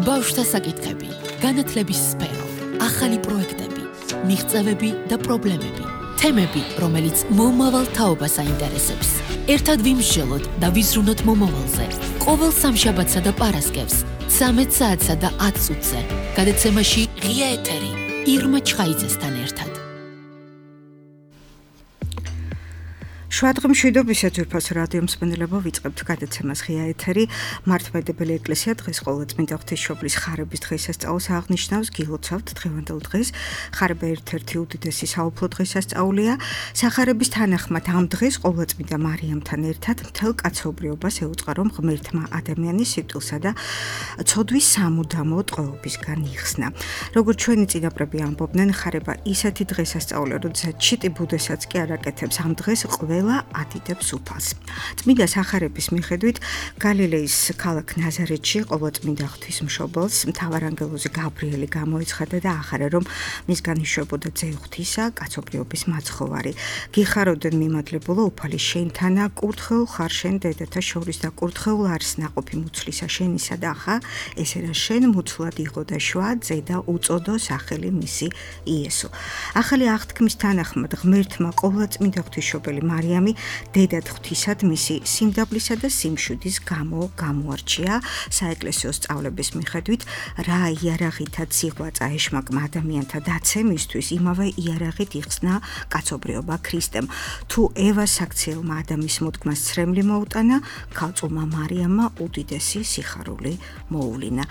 ბავშვთა საკითხები, განათლების სფერო, ახალი პროექტები, მიღწევები და პრობლემები, თემები, რომელიც მომავალ თაობას აინტერესებს. ერთად ვიმსჯელოთ და ვიზრუნოთ მომავალზე. ყოველ სამშაბათსა და პარასკევს 13 საათსა და 10 წუთზე. გადაცემაში ღია ეთერი ირმა ჩხაიძესთან ერთად. შვადღმშვიდობისა ძვირფასო რადიო მსმენელებო, ვიწყებთ გადაცემას ღია ეთერი. მართლმადიდებელი ეკლესია დღეს ყოვლადწმინდა ღვთისმშობლის ხარების დღესასწაულს აღნიშნავს. გილოცავთ დღევანდელ დღეს. ხარება ერთ-ერთი უდიდესი საუფლო დღესასწაულია. სახარების თანახმად ამ დღეს ყოვლადწმინდა მარიამთან ერთად მთელ კაცობრიობას ეუწყარო ღმერთმა ადამიანის სიკვდილსა და ცოდვის სამუდამო ტყვეობისგან იხსნა. როგორც ჩვენი წინაპრები ამბობდნენ, ხარება ისეთი დღესასწაულია, როდესაც ჩიტი ბუდებსაც კი არ აკეთებს. ამ დღეს ყველა ატიდებს უფალს. წმინდა სახარების მიხედვით გალილეის ქალაქ ნაზარეთში ყოვლადწმინდა ღვთისმშობელს მთავარანგელოზი გაბრიელი გამოეცხადა და ახარა, რომ მისგან იშვებოდა ძე ღვთისა, კაცობრიობის მაცხოვარი. გიხარობდნენ მიმადლებულო უფალი შენთანა, კურთხეულ ხარ შენ დედათა შორის და კურთხეულ არის ნაყოფი მუცლისა შენისა და ხა ესე რა შენ მუცლად იყო და შვა ძე და უწოდო სახელი მისი იესო. ახალი აღთქმის თანახმად ღმერთმა ყოვლადწმინდა ღვთისმშობელი მარიამი დედად ღვთისად მისი სიმდაბლისა და სიმშვიდის გამო გამოარჩია. საეკლესიო სწავლების მიხედვით რა იარაღითაც სიღვაწა ეშმაკმა ადამიანთა დაცემისთვის, იმავე იარაღით იხსნა კაცობრიობა ქრისტემ. თუ ევას საქციელმა ადამის მოდგმას ცრემლი მოუტანა, ქალწულმა მარიამმა უდიდესი სიხარული მოუვლინა.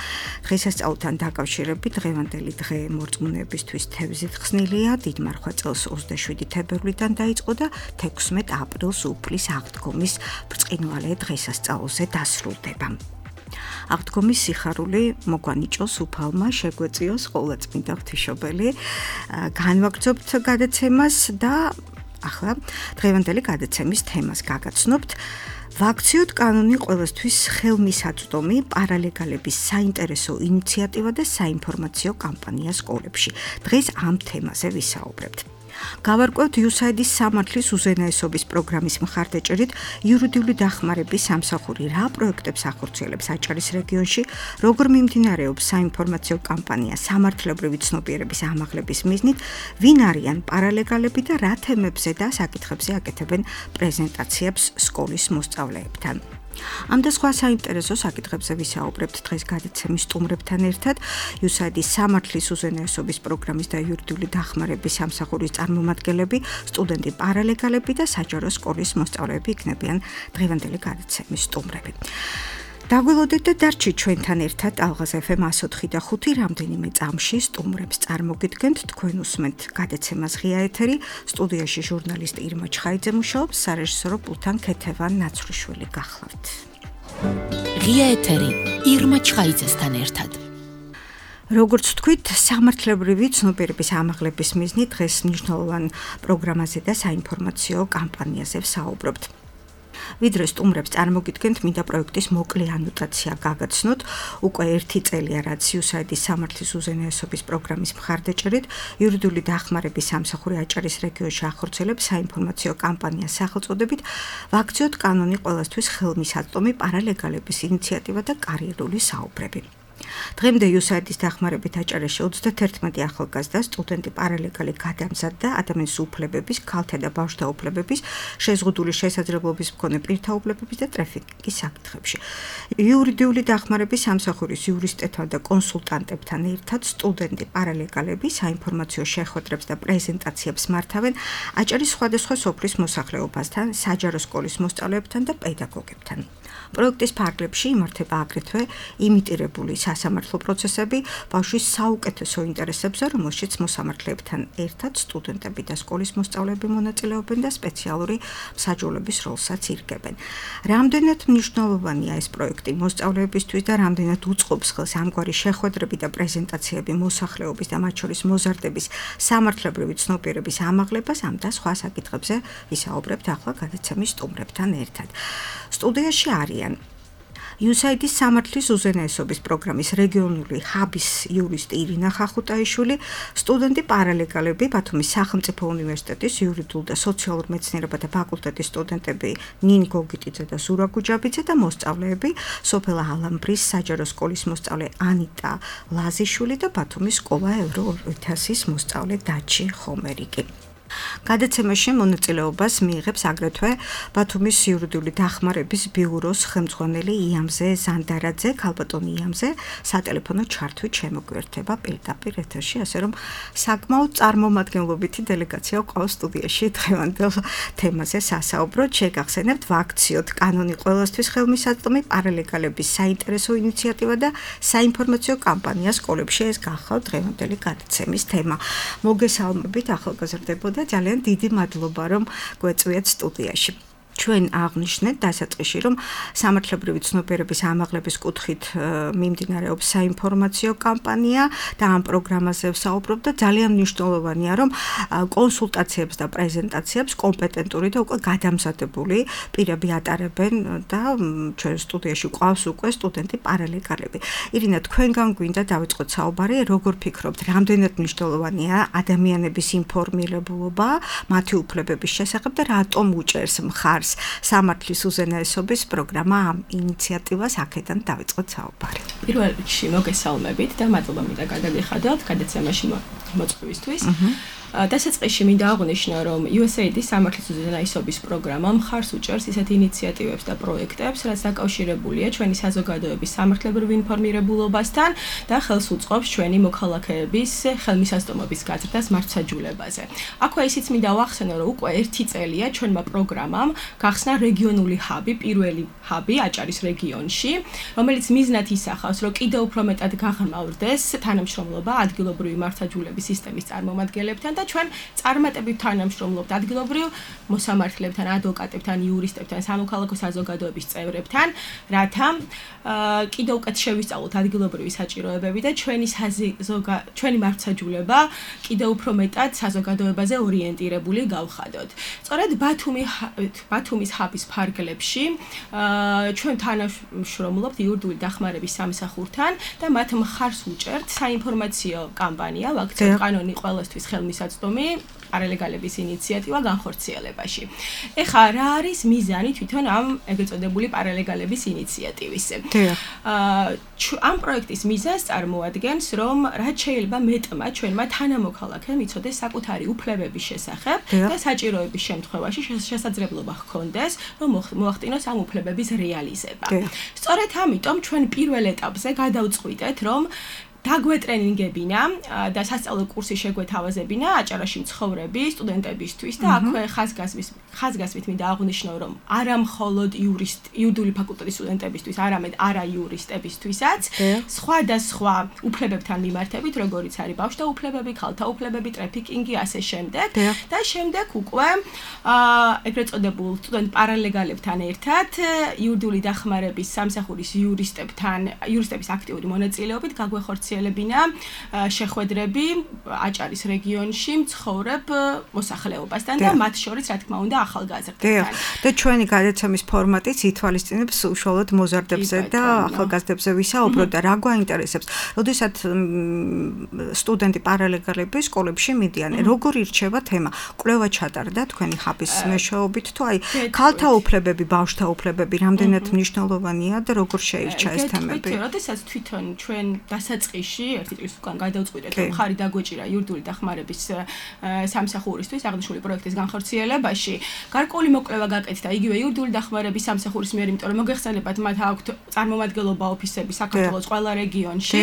დღესასწაულთან დაკავშირებით დღევანდელი დღე მორწმუნეებისთვის თევზით ხსნილია. დიდმარხვა წელს 27 თებერვლიდან დაიწყო და 16 აპრილს უფლის აღდგომის ბრწყინვალე დღესასწაულზე დასრულდება. აღდგომის სიხარული მოგვანიჭოს უფალმა, შეგვეწიოს ყოვლადწმინდა ღვთისმშობელი. განვაგრძობთ გადაცემას და ახლა დღევანდელი გადაცემის თემას გაგაცნობთ. ვაქციოთ კანონი ყველასთვის ხელმისაწვდომი პარალეგალების საინტერესო ინიციატივა და საინფორმაციო კამპანია სკოლებში. დღეს ამ თემაზე ვისაუბრებთ. გავარკვევთ USAID-ის სამართლის უზენაესობის პროგრამის მხარდაჭერით იურიდიული დახმარების სამსახური რა პროექტებს ახორციელებს აჭარის რეგიონში, როგორ მიმდინარეობს საინფორმაციო კამპანია სამართლებრივი ცნობიერების ამაღლების მიზნით, ვინ არიან პარალეგალები და რა თემებზე და საკითხებზე აკეთებენ პრეზენტაციებს სკოლის მოსწავლეებთან. ამ და სხვა საინტერესო საკითხებზე ვისაუბრებთ დღეს გადაცემის სტუმრებთან ერთად. USAID-ის სამართლის უზენაესობის პროგრამის და იურიდიული დახმარების სამსახურის წარმომადგენლები, სტუდენტი პარალეგალები და საჯარო სკოლის მოსწავლეები იქნებიან დღევანდელი გადაცემის სტუმრები. დაგველოდეთ და დარჩით ჩვენთან ერთად ალღაზ FM 104 და 5 რამდენიმე წამში სტუმრებს წარმოგიდგენთ. თქვენ უსმენთ გადაცემას ღია ეთერი. სტუდიაში ჟურნალისტი ირმა ჩხაიძე მუშაობს, სარეჟისორო პულტთან ქეთევან ნაცვლიშვილი გახლავთ. ღია ეთერი ირმა ჩხაიძესთან ერთად. როგორც თქვით, სამართლებრივი ცნობიერების ამაღლების მიზნით დღეს მნიშვნელოვან პროგრამაზე და საინფორმაციო კამპანიაზე ვსაუბრობთ. ვიდრე სტუმრებს წარმოგიდგენთ, მინდა პროექტის მოკლე ანოტაცია გაგაცნოთ. უკვე 1 წელია, რაც USAID-ის სამართლის უზენაესობის პროგრამის მხარდაჭერით იურიდიული დახმარების სამსახური აჭარის რეგიონში ახორციელებს საინფორმაციო კამპანიას სახელწოდებით ვაქციოთ კანონი ყველასთვის ხელმისაწვდომი პარალეგალების ინიციატივა და კარიერული საუბრები. დღემდე USAID-ის დახმარებით აჭარაში 31 ახალგაზრდა სტუდენტი პარალეგალი გადამზადდა ადამიანის უფლებების, ქალთა და ბავშვთა უფლებების, შეზღუდული შესაძლებლობის მქონე პირთა უფლებების და ტრაფიკის საკითხებში. იურიდიული დახმარების სამსახურის იურისტებთან და კონსულტანტებთან ერთად სტუდენტი პარალეგალები საინფორმაციო შეხვედრებს და პრეზენტაციებს მართავენ აჭარის სხვადასხვა სოფლის მოსახლეობასთან, საჯარო სკოლის მოსწავლეებთან და პედაგოგებთან. პროექტის ფარგლებში იმართება აგრეთვე იმიტირებული სასამართლო პროცესები ბავშვის საუკეთესო ინტერესებზე, რომელშიც მოსამართლეებთან ერთად სტუდენტები და სკოლის მოსწავლეები მონაწილეობენ და სპეციალური მსაჯულების როლსაც ირგებენ. რამდენად მნიშვნელოვანია ეს პროექტი მოსწავლეებისთვის და რამდენად უწყობს ხელს ამგვარი შეხვედრები და პრეზენტაციები მოსახლეობის და მათ შორის მოზარდების სამართლებრივი ცნობიერების ამაღლებას, ამ და სხვა საკითხებზე ვისაუბრებთ ახლა გადაცემის სტუმრებთან ერთად. სტუდიაში არიან USAID-ის სამართლის უზენაესობის პროგრამის რეგიონული ჰაბის იურისტი ირინა ხახუტაიშვილი, სტუდენტი პარალეგალები ბათუმის სახელმწიფო უნივერსიტეტის იურიდიულ და სოციალურ მეცნიერებათა ფაკულტეტის სტუდენტები ნინი გოგიტიძე და ზურა გუჯაბიძე და მოსწავლეები სოფელ ალამბრის საჯარო სკოლის მოსწავლე ანიტა ლაზიშვილი და ბათუმის სკოლა ევრო 2000-ის მოსწავლე დაჩი ხომერიკი. გადაცემაში მონაწილეობას მიიღებს აგრეთვე ბათუმის იურიდიული დახმარების ბიუროს ხელმძღვანელი იამზე ზანდარაძე, ქალბატონი იამზე, სატელეფონო ჩართვით შემოგვიერთება პირდაპირ ეთერში, ასე რომ საკმაოდ წარმომადგენლობითი დელეგაცია ყავს სტუდიაში დღევანდელ თემაზე სასაუბროდ. შეგახსენებთ ვაქციოთ კანონი ყველასთვის ხელმისაწვდომი პარალეგალების საინტერესო ინიციატივა და საინფორმაციო კამპანია სკოლებში. ეს გახავთ დღევანდელი გადაცემის თემა. მოგესალმებით ახალგაზრდებო და ძალიან დიდი მადლობა რომ გვეწვიათ სტუდიაში. ჩვენ აღნიშნეთ დასაწყისში რომ სამართლებრივი ცნობიერების ამაღლების კუთხით მიმდინარეობს საინფორმაციო კამპანია და ამ პროგრამაზე ვსაუბრობ და ძალიან მნიშვნელოვანია რომ კონსულტაციებს და პრეზენტაციებს კომპეტენტური და უკვე გადამზადებული პირები ატარებენ და ჩვენ სტუდიაში ყავს უკვე სტუდენტი პარალეგალები. ირინა, თქვენგან გვინდა დავიწყოთ საუბარი, როგორ ფიქრობთ, რამდენად მნიშვნელოვანია ადამიანების ინფორმირებულობა მათი უფლებების შესახებ და რატომ უჭერს მხარს სამართლის უზენაესობის პროგრამა ამ ინიციატივას აქედან დავიწყოთ საუბარი. პირველ რიგში მოგესალმებით და მადლობა მინდა გადაგიხადოთ გადაცემაში მოწვევისთვის. დასაწყისში მინდა აღვნიშნო, რომ USAID-ის სამართლის უზენაესობის პროგრამა მხარს უჭერს ისეთ ინიციატივებს და პროექტებს, რაც დაკავშირებულია ჩვენი საზოგადოების სამართლებრივ ინფორმირებულობასთან და ხელს უწყობს ჩვენი მოქალაქეების ხელმისაწვდომობის გაზრდას მართლმსაჯულებაზე. აქვე ისიც მინდა ვახსენო, რომ უკვე 1 წელია ჩვენმა პროგრამამ გახსნა რეგიონული ჰაბი, პირველი ჰაბი აჭარის რეგიონში, რომელიც მიზნად ისახავს, რომ კიდევ უფრო მეტად გაღრმავდეს თანამშრომლობა ადგილობრივი მართლმსაჯულების სისტემის წარმომადგენლებთან და ჩვენ წარმატებით თანამშრომლობთ ადგილობრივ მოსამართლებთან, ადვოკატებთან, იურისტებთან, სამოქალაქო საზოგადოების წევრებთან, რათა კიდევ უკეთ შევისწავლოთ ადგილობრივი საჭიროებები და ჩვენი მართლმსაჯულება კიდევ უფრო მეტად საზოგადოებაზე ორიენტირებული გავხადოთ. სწორედ ბათუმის ჰაბის ფარგლებში ჩვენ თანამშრომლობთ იურიდიული დახმარების სამსახურთან და მათ მხარს უჭერთ საინფორმაციო კამპანია ვაქციოთ კანონი ყველასთვის ხელმისაწვდომი პარალეგალების ინიციატივა განხორციელებაში. ეხლა რა არის მიზანი თვითონ ამ ეგრეთ წოდებული პარალეგალების ინიციატივის? ამ პროექტის მიზანს წარმოადგენს, რომ რაც შეიძლება მეტმა ჩვენმა თანამოქალაქემ იცოდეს საკუთარი უფლებების შესახებ და საჭიროების შემთხვევაში შესაძლებლობა ჰქონდეს, რომ მოახდინოს ამ უფლებების რეალიზება. სწორედ ამიტომ ჩვენ პირველ ეტაპზე გადავწყვიტეთ, რომ დაგვეტრენინგებინა და სასწავლო კურსი შეგვეთავაზებინა აჭარაში მცხოვრები სტუდენტებისთვის და აქვე ხაზგასმით მინდა აღვნიშნო, რომ არა მხოლოდ იურიდიული ფაკულტეტის სტუდენტებისთვის, არამედ არა იურისტებისთვისაც სხვადასხვა უფლებებთან მიმართებით, როგორიც არის ბავშვთა უფლებები, ქალთა უფლებები, ტრაფიკინგი, ასე შემდეგ და შემდეგ უკვე ეგრეთ წოდებულ სტუდენტ პარალეგალებთან ერთად იურიდიული დახმარების სამსახურის იურისტების აქტიური მონაწილეობით გაგვეხორციელებინა შეხვედრები აჭარის რეგიონში მცხოვრებ მოსახლეობასთან და მათ შორის რა თქმა უნდა ახალგაზრდებთან. და ჩვენი გადაცემის ფორმატიც ითვალისწინებს უშუალოდ მოზარდებზე და ახალგაზრდებზე ვისაუბროთ და რა გვაინტერესებს. როდესაც სტუდენტი პარალეგალები სკოლებში მიდიან, როგორ ირჩევა თემა? კვლევა ჩატარდა თქვენი ჰაბის მეშვეობით თუ აი ქალთა უფლებები, ბავშვთა უფლებები რამდენად მნიშვნელოვანია და როგორ შეირჩა ეს თემები? როდესაც თვითონ ჩვენ დასაწყისში 1 წლის უკან გადავწყვიტეთ, რომ ხარი დაგვეჭირა იურიდიული დახმარების სამსახურისთვის აღნიშნული პროექტის განხორციელებაში, გარკვეული მოკვლევა გაკეთდა იგივე იურიდიული დახმარების სამსახურის მიერ, იმიტომ რომ მოგეხსენებათ, მათ აქვთ წარმომადგენლობა ოფისები საქართველოს ყველა რეგიონში.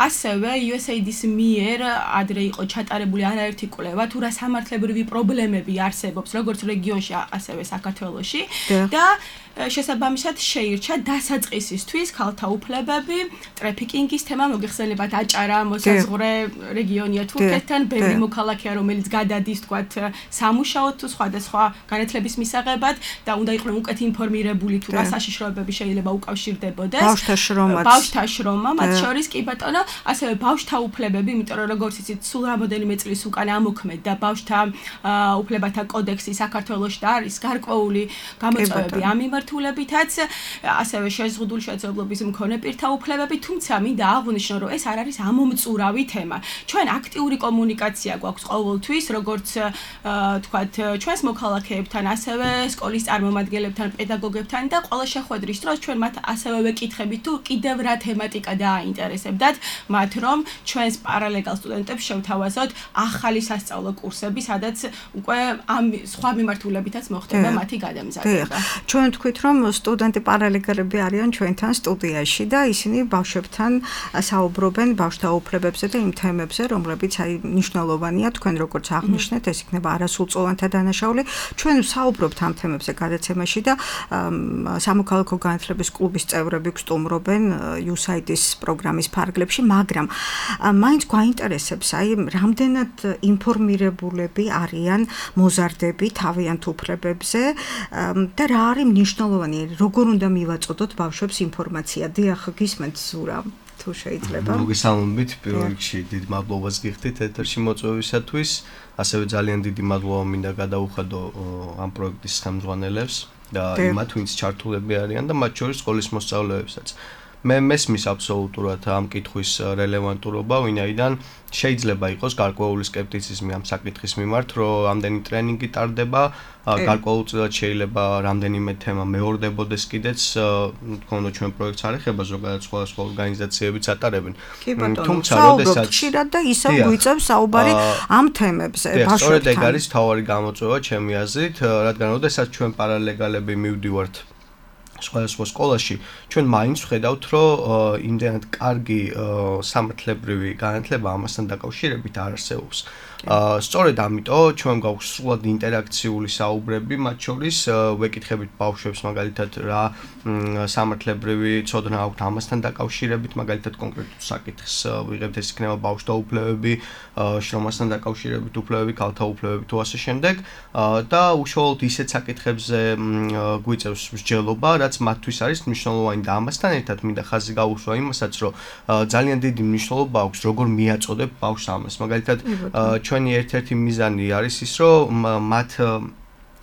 ასევე USAID-ის მიერ ადრე იყო ჩატარებული არაერთი კვლევა, თუ რა სამართლებრივი პრობლემები არსებობს როგორც რეგიონში, ასევე საქართველოში და შესაბამისად შეირჩა დასაწყისისთვის ქალთა უფლებები, ტრაფიკინგის თემა, მოგეხსენებათ აჭარა მოსაზღვრე რეგიონია თურქეთთან, ბევრი მოქალაქეა, რომელიც გადადის თქვათ სამუშაოდ თუ სხვადასხვა განათლების მისაღებად და უნდა იყვნენ უკეთ ინფორმირებული თუ რა საშიშროებები შეიძლება უკავშირდებოდეს. ბავშვთა შრომა, მათ შორის კი ბატონო, ასევე ბავშვთა უფლებები, იმიტომ რომ როგორც იცით, სულ რამოდენიმე წლის უკან ამოქმედდა ბავშვთა უფლებათა კოდექსი საქართველოში და არის გარკვეული გამოწვევები ამ მიმართ მიმართულებითაც, ასევე შეზღუდული შეძლებლობის მქონე პირთა უფლებები, თუმცა მინდა აღვნიშნო, რომ ეს არ არის ამომწურავი თემა. ჩვენ აქტიური კომუნიკაცია გვაქვს ყოველთვის, როგორც თქვათ, ჩვენს მოქალაქეებთან, ასევე სკოლის წარმომადგენლებთან, პედაგოგებთან და ყველა შეხვედრის დროს ჩვენ მათ ასევე ვეკითხებით, თუ კიდევ რა თემატიკა დააინტერესებდათ მათ, რომ ჩვენს პარალეგალ სტუდენტებს შევთავაზოთ ახალი სასწავლო კურსები, სადაც უკვე ამ სხვა მიმართულებითაც მოხდება მათი გადამზადება. ჩვენ თქვით, რომ სტუდენტი პარალეგალები არიან ჩვენთან სტუდიაში და ისინი ბავშვებთან საუბრობენ ბავშვთა უფლებებზე და იმ თემებზე, რომლებიც მნიშვნელოვანია, თქვენ როგორც აღნიშნეთ, ეს იქნება არასრულწლოვანთა დანაშაული. ჩვენ საუბრობთ ამ თემებზე გადაცემაში და სამოქალაქო განათლების კლუბის წევრები გსტუმრობენ USAID-ის პროგრამის ფარგლებში, მაგრამ მაინც გვაინტერესებს, რამდენად ინფორმირებულები არიან მოზარდები თავიანთ უფლებებზე და რა არის მნიშვნელოვანი, როგორ უნდა მივაწოდოთ ბავშვებს ინფორმაცია. დიახ, გისმენთ ზურა, თუ შეიძლება. მოგესალმებით, პირველ რიგში დიდ მადლობას გიხდით ეთერში მოწვევისათვის, ასევე ძალიან დიდი მადლობა მინდა გადაუხადო ამ პროექტის ხელმძღვანელებს და იმათ, ვინც ჩართულები არიან და მათ შორის სკოლის მოსწავლეებსაც. მე მესმის აბსოლუტურად ამ კითხვის რელევანტურობა, ვინაიდან შეიძლება იყოს გარკვეული სკეპტიციზმი ამ საკითხის მიმართ, რომ ამდენი ტრენინგი ტარდება, გარკვეულწილად შეიძლება რამდენიმე თემა მეორდებოდეს კიდეც, თქონდა ჩვენ პროექტს არ ეხება ზოგადად სხვადასხვა ორგანიზაციებიც ატარებენ. თუმცა როდესაც ხშირად და ისევ გვიწევს საუბარი ამ თემებზე, ბავშვებთან. სწორედ ეგ არის მთავარი გამოწვევა ჩემი აზრით, რადგან როდესაც ჩვენ პარალეგალები მივდივართ სხვადასხვა სკოლაში, ჩვენ მაინც ვხედავთ, რომ იმდენად კარგი სამართლებრივი განათლება ამასთან დაკავშირებით არ არსებობს. სწორედ ამიტომ ჩვენ გვაქვს სრულად ინტერაქციული საუბრები, მათ შორის ვეკითხებით ბავშვებს მაგალითად რა სამართლებრივი ცოდნა აქვთ ამასთან დაკავშირებით, მაგალითად კონკრეტულ საკითხს ვიღებთ, ეს იქნება ბავშვთა უფლებები, შრომასთან დაკავშირებით უფლებები, ქალთა უფლებები თუ ასე შემდეგ და უშუალოდ ისეთ საკითხებზე გვიწევს მსჯელობა, რაც მათთვის არის მნიშვნელოვანი და ამასთან ერთად მინდა ხაზი გაუსვა იმასაც, რომ ძალიან დიდი მნიშვნელობა აქვს როგორ მიაწოდებ ბავშვს ამას. მაგალითად ჩვენი ერთ-ერთი მიზანი არის ის, რომ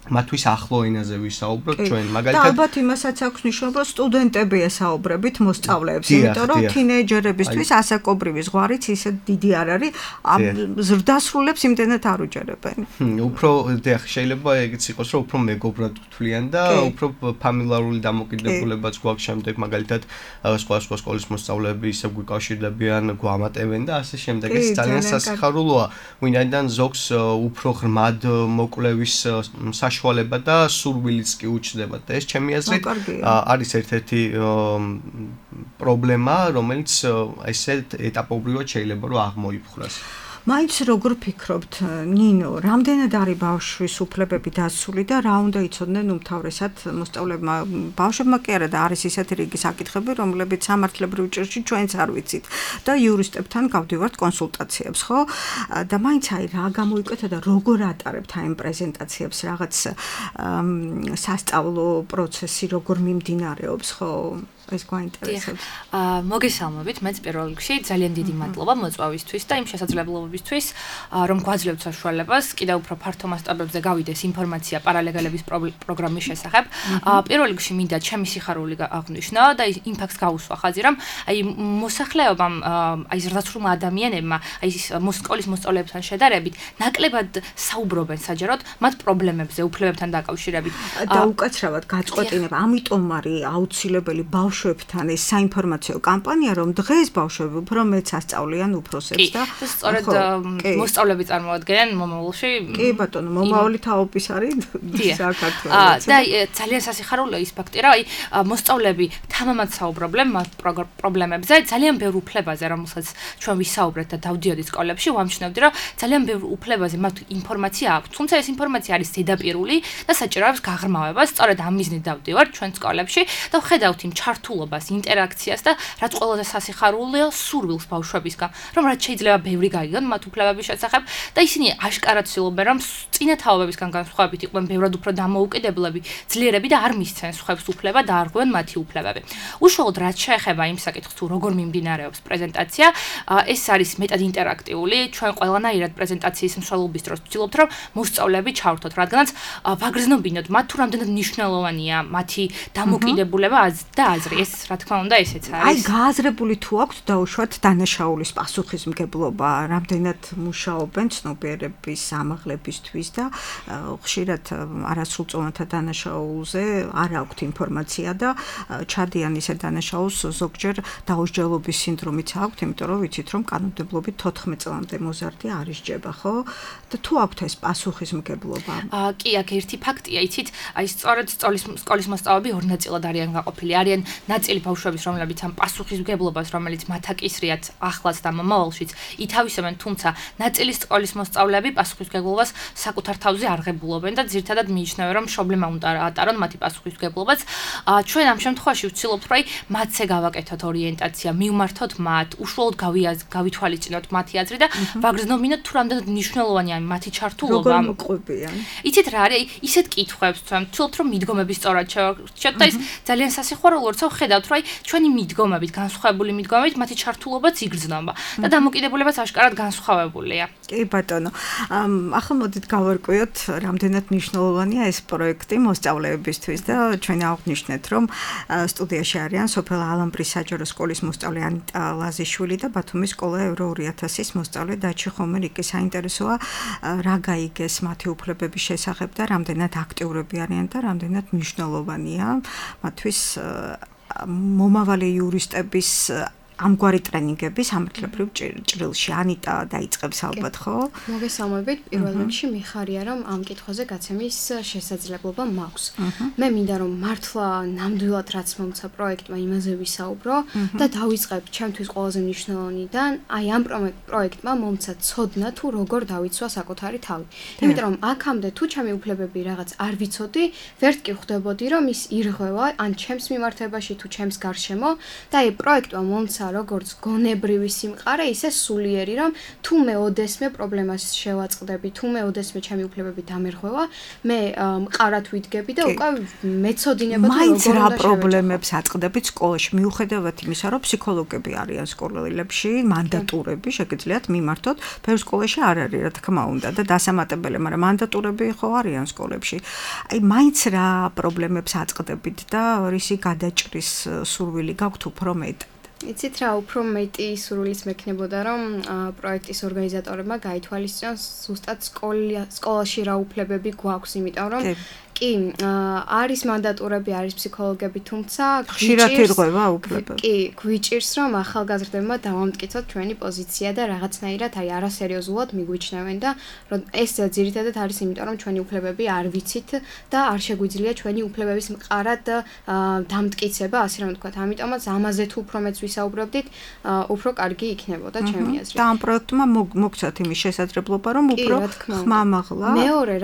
მათთვის ახლო ენაზე ვისაუბროთ ჩვენ, მაგალითად. და ალბათ იმასაც აქვს მნიშვნელობა, სტუდენტები ესაუბრებით მოსწავლეებს, იმიტომ რომ თინეიჯერებისთვის ასაკობრივი ზღვარიც ისე დიდი არ არის, ზრდასრულებს იმდენად არ უჯერებენ. უფრო შეიძლება ეგეც იყოს, რომ უფრო მეგობრად ვთვლიან და უფრო ფამილარული დამოკიდებულებაც გვაქვს შემდეგ, მაგალითად სხვადასხვა სკოლის მოსწავლეები ისე გვიკავშირდებიან, გვამატებენ და ასე შემდეგ. ეს ძალიან სასიხარულოა, ვინაიდან ზოგს უფრო ღრმად მოკვლევის საშუალება და სურვილიც კი უჩნდება და ეს ჩემი აზრით არის ერთ-ერთი პრობლემა, რომელიც ესეთ ეტაპობრივად შეიძლება რომ აღმოიფხვრას. მაინც როგორ ფიქრობთ, ნინო, რამდენად არის ბავშვის უფლებები დასული და რა უნდა იცოდნენ უმთავრესად მოსწავლეებმა, ბავშვებმა კი არა და არის ისეთი რიგი საკითხები, რომლებიც სამართლებრივ ჭირში ჩვენც არ ვიცით და იურისტებთან გავდივართ კონსულტაციებს, ხო? და მაინც რა გამოიკვეთა და როგორ ატარებთ აი ამ პრეზენტაციებს, რაღაც სასწავლო პროცესი როგორ მიმდინარეობს, ხო? ეს გვაინტერესებს. მოგესალმებით, მეც პირველ რიგში ძალიან დიდი მადლობა მოწვევისთვის და იმ შესაძლებლობებისთვის, რომ გვაძლევთ საშუალებას კიდევ უფრო ფართო მასშტაბებზე გავიდეს ინფორმაცია პარალეგალების პროგრამის შესახებ. პირველ რიგში მინდა ჩემი სიხარული აღვნიშნო და იმ ფაქტს გავუსვა ხაზი, რომ აი მოსახლეობამ, აი ზრდასრულმა ადამიანებმა, აი სკოლის მოსწავლეებთან შედარებით, ნაკლებად საუბრობენ საჯაროდ მათ პრობლემებზე, უფლებებთან დაკავშირებით. და უკაცრავად გაწყვეტინება, ამიტომ არის აუცილებელი ბავშვებთან ეს საინფორმაციო კამპანია, რომ დღეს ბავშვები უფრო მეც ასწავლიან უფროსებს და სწორედ მოსწავლეები წარმოადგენენ მომავალში. კი ბატონო, მომავალი თაობის არის საქართველოს. და ძალიან სასიხარულოა ის ფაქტი, რომ აი მოსწავლეები თამამად საუბრობენ მათ პრობლემებზე, ძალიან ბევრ უფლებაზე, რომელსაც ჩვენ ვისაუბრეთ და დავდიოდი სკოლებში, ვამჩნევდი, რომ ძალიან ბევრ უფლებაზე მათ ინფორმაცია აქვს. თუმცა ეს ინფორმაცია არის ზედაპირული და საჭიროებს გაღრმავებას. სწორედ ამ მიზნით დავდივარ ჩვენ სკოლებში და ვხედავთ იმ ჩართულ ჩართულობას, ინტერაქციას და რაც ყველაზე სასიხარულოა, სურვილს ბავშვებისგან, რომ რაც შეიძლება ბევრი გაიგონ მათ უფლებების შესახებ და ისინი აშკარად ცდილობენ, რომ წინა თაობებისგან განსხვავებით იყვნენ ბევრად უფრო დამოუკიდებლები, ძლიერები და არ მისცენ სხვებს უფლება და არ ღვევენ მათი უფლებები. უშუალოდ რაც შეეხება იმ საკითხს, თუ როგორ მიმდინარეობს პრეზენტაცია, ეს არის მეტად ინტერაქტიული. ჩვენ ყველანაირად პრეზენტაციის მსვლელობის დროს ვცდილობთ, რომ მოსწავლეები ჩავრთოთ, რადგანაც ვაგრძნობინოთ მათ თუ რამდენად მნიშვნელოვანია მათი დამოკიდებულება და აზრი. ეს რა თქმა უნდა ესეც არის. აი გააზრებული თუ აქვს დაუშვათ დანაშაულის პასუხისმგებლობა, რამდენად მუშაობენ ცნობიერების ამაღლებისთვის და ხშირად არასრულწლოვანთა დანაშაულზე არ აქვთ ინფორმაცია და ჩადიან ისე დანაშაულს ზოგჯერ დაუსჯელობის სინდრომიც აქვთ, იმიტომ რომ ვიცით რომ კანონმდებლობით 14 წლამდე მოზარდი არ ისჯება, ხო? და თუ აქვთ ეს პასუხისმგებლობა? კი, აქ ერთი ფაქტია, იცით, აი სწორედ სკოლის მოსწავლეები ორ ნაწილად არიან გაყოფილი. არიან ნაწილი ბავშვების, რომლებიც ამ პასუხისმგებლობას, რომელიც მათ აკისრიათ ახლაც და მომავალშიც, ითავისებენ, თუმცა ნაწილი სკოლის მოსწავლეები პასუხისმგებლობას საკუთარ თავზე არ ღებულობენ და ძირითადად მიიჩნევენ, რომ პრობლემა უნდა ატარონ მათი პასუხისმგებლობაც. ჩვენ ამ შემთხვევაში ვცდილობთ, რომ მათზე გავაკეთოთ ორიენტაცია, მივმართოთ მათ, უშუალოდ გავითვალისწინოთ მათი აზრი და ვაგრძნობინოთ თუ რამდენად მნიშვნელოვანია მათი ჩართულობა. როგორ მოყვებიან? იცით რა არის? ისეთ კითხვებს ჩვენ ვცდილობთ, რომ მიდგომები სწორად შევარჩიოთ და ის ძალიან სასიხარულოა, როცა ვხედავთ, რომ ჩვენი მიდგომებით, განსხვავებული მიდგომებით მათი ჩართულობაც იგრძნობა და დამოკიდებულებაც აშკარად განსხვავებულია. კი ბატონო. ახლა მოდით გავარკვიოთ, რამდენად მნიშვნელოვანია ეს პროექტი მოსწავლეებისთვის და ჩვენ აღვნიშნეთ, რომ სტუდიაში არიან სოფელ ალამბრის საჯარო სკოლის მოსწავლე ანიტა ლაზიშვილი და ბათუმის სკოლა ევრო 2000-ის მოსწავლე დაჩი ხომერიკი. საინტერესოა რა გაიგეს მათი უფლებების შესახებ და რამდენად აქტიურები არიან და რამდენად მნიშვნელოვანია მათთვის მომავალი იურისტების ამგვარი ტრენინგები სამართლებრივ ჭრილში. ანიტა დაიწყებს ალბათ, ხო? მოგესალმებით. პირველ რიგში მიხარია, რომ ამ კითხვაზე გაცემის შესაძლებლობა მაქვს. მე მინდა რომ მართლა ნამდვილად რაც მომცა პროექტმა იმაზე ვისაუბრო და დავიწყებ ჩემთვის ყველაზე მნიშვნელოვანიდან, აი ამ პროექტმა მომცა ცოდნა თუ როგორ დავიცვა საკუთარი თავი. იმიტომ რომ აქამდე თუ ჩემი უფლებები რაღაც არ ვიცოდი, ვერც კი ხვდებოდი რომ ის ირღვევა ან ჩემს მიმართებაში თუ ჩემს გარშემო და აი პროექტმა მომცა როგორც გონებრივი სიმყარე, ისე სულიერი, რომ თუ მე ოდესმე პრობლემას შევაწყდები, თუ მე ოდესმე ჩემი უფლებები დამერღვევა, მე მყარად ვიდგები და უკვე მეცოდინება თუ მაინც რა პრობლემებს აწყდებით სკოლაში, მიუხედავად იმისა, რომ ფსიქოლოგები არიან სკოლებში, მანდატურები, შეგიძლიათ მიმართოთ, ბევრ სკოლაში არ არის, რა თქმა უნდა, და დასამატებელი, მაგრამ მანდატურები ხო არიან სკოლებში. აი მაინც რა პრობლემებს აწყდებით და რისი გადაჭრის სურვილი გაქვთ უფრო მეტ? იცით რა, უფრო მეტი სურვილის მექნებოდა, რომ პროექტის ორგანიზატორებმა გაითვალისწინონ ზუსტად სკოლაში რა უფლებები გვაქვს, იმიტომ რომ კი, არის მანდატურები, არის ფსიქოლოგები, თუმცა ხშირად ირღვევა უფლებები. კი, გვიჭირს რომ ახალგაზრდებმა დავამტკიცოთ ჩვენი პოზიცია და რაღაცნაირად აი არასერიოზულად მიგვიჩნევენ და ეს ძირითადად არის იმიტომ რომ ჩვენი უფლებები არ ვიცით და არ შეგვიძლია ჩვენი უფლებების მყარად დამტკიცება, ასე რომ ვთქვათ. ამიტომაც ამაზე თუ უფრო მეც ვისაუბრებდით, უფრო კარგი იქნებოდა ჩემი აზრით. და ამ პროექტმა მოგცათ იმის შესაძლებლობა, რომ უფრო ხმამაღლა